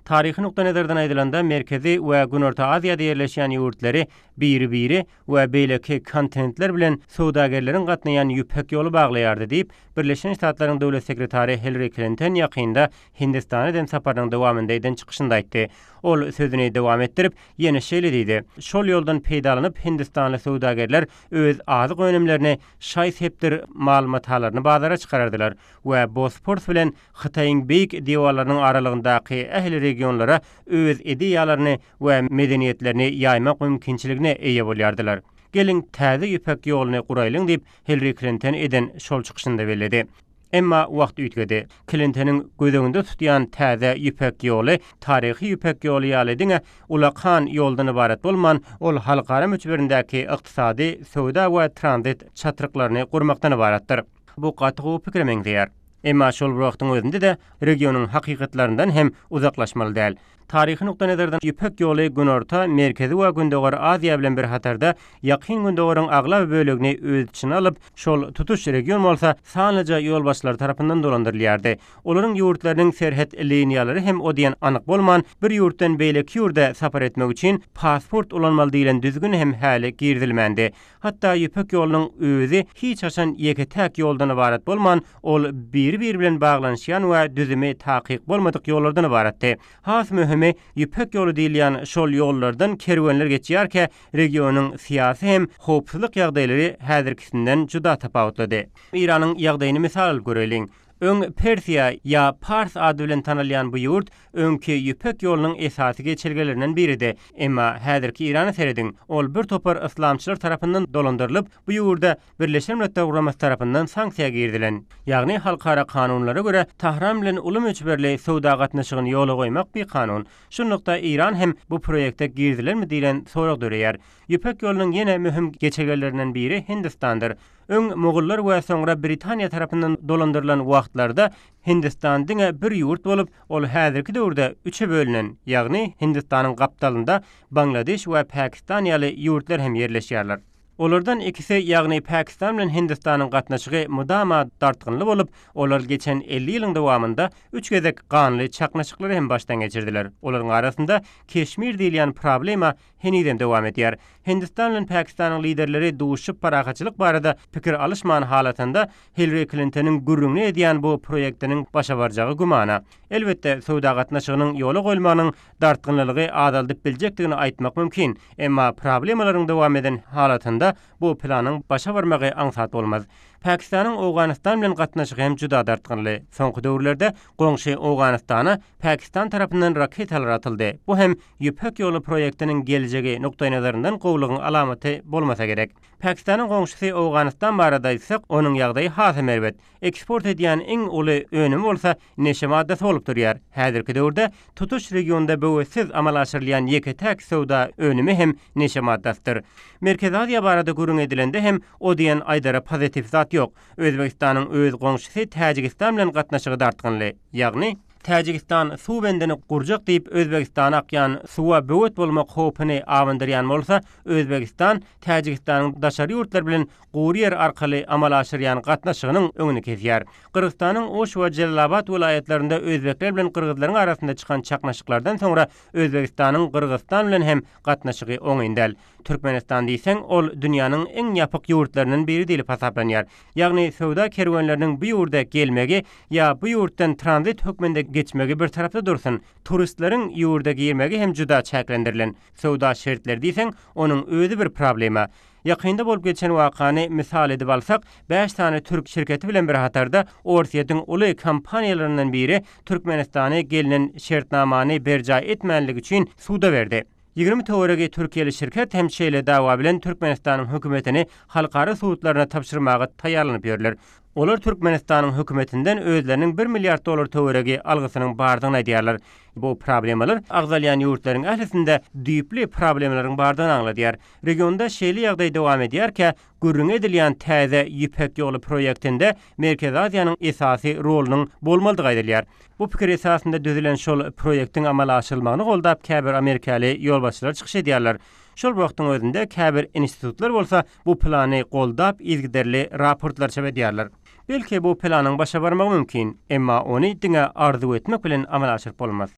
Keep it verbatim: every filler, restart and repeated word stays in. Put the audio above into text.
Taryhy nukdaýnazardan aýdylanda Merkezi we Günorta Aziýada ýerleşýän ýurtlary biri-biri we beýleki kontinentler bilen söwdagärleriň gatnaýan Ýüpek ýoly baglaýardy diýip, Birleşen Ştatlaryň döwlet sekretary Hillary Clinton ýakynda Hindistana eden saparynyň dowamynda eden çykyşynda aýtdy. Ol sözüni dowam etdirip, ýene şeýle diýdi: Şol ýoldan peýdalanyp Hindistanly söwdagärler öz azyk önümlerini, şaý-sepdir mal-matalaryny bazara çykarardylar we Bosporus bilen Hytaýyň beýik diwarlarynyň aralygyndaky ähli regionlara öz ideýalaryny we medeniýetlerini ýaýmak mümkinçiligine eýe bolýardylar. Geliň täze Ýüpek ýoluny guraýlyň diýip Hillary Clinton eden şol çykyşynda belledi. Emma wagt üýtgedi. Clintonyň göz öňünde tutýan täze Ýüpek ýoly taryhy Ýüpek ýoly ýaly diňe ulakan ýoldan ybarat bolman, ol halkara möçberindäki ykdysady, söwda we tranzit çatryklaryny gurmakdan ybaratdyr. Bu gaty gowy pikire meňzeýär. Emma şol bir wagtyň özünde de regionyň hakykatlaryndan hem uzaklaşmaly däl. Taryhy nukdaýnazardan Ýüpek ýoly Günorta, Merkezi we Gündogar Aziýa bilen bir hatarda Ýakyn Gündogaryň aglaba bölegini öz içine alyp, şol tutuş region bolsa sanlyja ýolbaşçylar tarapyndan dolandyrylýardy. Olaryň ýurtlarynyň serhet liniýalary hem o diýen anyk bolman, bir ýurtdan beýleki ýurda sapar etmek üçin pasport ulanmaly diýlen düzgün hem häli girizilmändi. Hatda Ýüpek ýolunyň özi hiç haçan ýeke-täk ýoldan ybarat bolman, ol biri-biri bilen baglanyşýan we düzümi takyk bolmadyk ýollardan ybaratdy. Has möhümi Ýüpek ýoly diýilýän şol ýollardan kerwenler geçýärkä regionyň syýasy hem howpsuzlyk ýagdaýlary häzirkisinden juda tapawutlydy. Iranyň ýagdaýyny mysal alyp göreliň. Öň Persiýa ýa Pars ady bilen tanalýan bu ýurt öňki Ýüpek ýolunyň esasy geçelgelerinden biridi. Emma häzirki Irana serediň, ol bir topar yslamçylar tarapyndan dolandyrylyp, bu ýurda Birleşen Milletler Guramasy tarapyndan sanksiýa girizilen. Ýagny halkara kanunlara görä Tahran bilen uly möçberli söwda gatnaşygyny ýola goýmak bir kanun. Şunlukda Iran hem bu proýekte girizilenmi diýlen sorag döreýär. Ýüpek ýolunyň ýene möhüm geçelgelerinden biri Hindistandyr. Öň Mogullar we soňra Britaniýa tarapyndan dolandyrylan wagtlarda Hindistan diňe bir ýurt bolup, ol häzirki döwürde üçe bölünen, ýagny Hindistanyň gapdalynda Bangladeş we Pakistan ýaly ýurtlar hem ýerleşýärler. Olardan ikisi, ýagny Pakistan bilen Hindistanyň gatnaşygy mudama dartgynly bolup, olar geçen elli ýylyň dowamynda üç gezek ganly çaknyşyklary hem başdan geçirdiler. Olaryň arasynda Keşmir diýilýän problema henizem dowam edýär. Hindistan bilen Pakistanyň liderleri duşup parahatçylyk barada pikir alyşman halatynda Hillary Clintonyň gürrüňini edýän bu proýektiniň başa barjagy gümana. Elbetde söwda gatnaşygynyň ýola goýulmagynyň dartgynlylygy azaldyp biljekdigini aýtmak mümkin. Emma problemalaryň dowam eden halatynda bu planyň başa barmagy aňsat bolmaz. Pakistanyň Owganystan bilen gatnaşygy hem juda dartgynly. Soňky döwürlerde goňşy Owganystana Pakistan tarapyndan raketalar atyldy. Bu hem Ýüpek ýoly proýektiniň geljegi nukdaýnazaryndan gowlugyň alamaty bolmasa gerek. Pakistanyň goňşusy Owganystan barada aýtsak, onuň ýagdaýy has hem erbet. Eksport edýän iň uly önüm bolsa neşe maddasy bolup durýar. Häzirki döwürde tutuş regionda böwetsiz amala aşyrylýan ýeke-täk söwda önümi hem neşe maddasydyr. Merkezi Aziýa barada gürrüň edilende hem o diýen aýdara pozitiv zat ýok. Özbekistanyň öz goňşusy Täjigistan bilen gatnaşygy dartgynly. Ýagny Täjigistan suw bendini gurjak diýip Özbekistana akýan suwa böwet bolmak howpuny awandyrýan bolsa, Özbekistan Täjigistanyň daşary ýurtlar bilen gury ýer arkaly amala aşyrýan gatnaşygynyň öňüni kesýär. Gyrgyzystanyň Oş we Jelalabat welaýatlarynda özbekler bilen gyrgyzlaryň arasynda çykan çaknyşyklardan soňra Özbekistanyň Gyrgyzystan bilen hem gatnaşygy oňyn däl. Türkmenistan diýseň, ol dünýäniň iň ýapyk ýurtlaryndan biri diýlip hasaplanýar. Ýagny söwda kerwenleriniň bu ýurda gelmegi ýa bu ýurtdan tranzit hökmünde geçmegi bir tarapda dursun. Turistleriň ýurda girmegi hem juda çäklendirilen. Söwda şertleri diýseň, onuň özi bir problema. Ýakynda bolup geçen wakany mysal edip alsak, beş sany türk şirketi bilen bir hatarda Orsýetiň uly kompaniýalaryndan biri Türkmenistany gelinen şertnamany berjaý etmänligi üçin suda berdi. Ýigrimi töweregi Türkiýeli şirket hem şeýle dawa bilen Türkmenistanyň hökümetini halkara sudlaryna tabşyrmaga taýýarlanyp ýörler. Olar Türkmenistanyň hökümetinden özleriniň bir milliard dollar töweregi algysynyň bardygyny aýdýarlar. Bu problemalar agzalýan ýurtlaryň ählisinde düýpli problemalaryň bardygyny aňladýar. Regionda şeýle ýagdaý dowam edýärkä, gürrüň edilýän täze Ýüpek ýoly proýektinde Merkezi Aziýanyň esasy rolunyň bolmalydygy aýdylýar. Bu pikir esasynda düzülen şol proýektiň amala aşyrylmagyny goldap käbir amerikaly ýolbaşçylar çykyş edýärler. Şol wagtyň özünde käbir institutlar bolsa bu plany goldap yzygiderli raportlar çap edýärler. Belki bu planyň başa barmagy mümkin, emma ony diňe arzuw etmek bilen amala aşyryp bolmaz.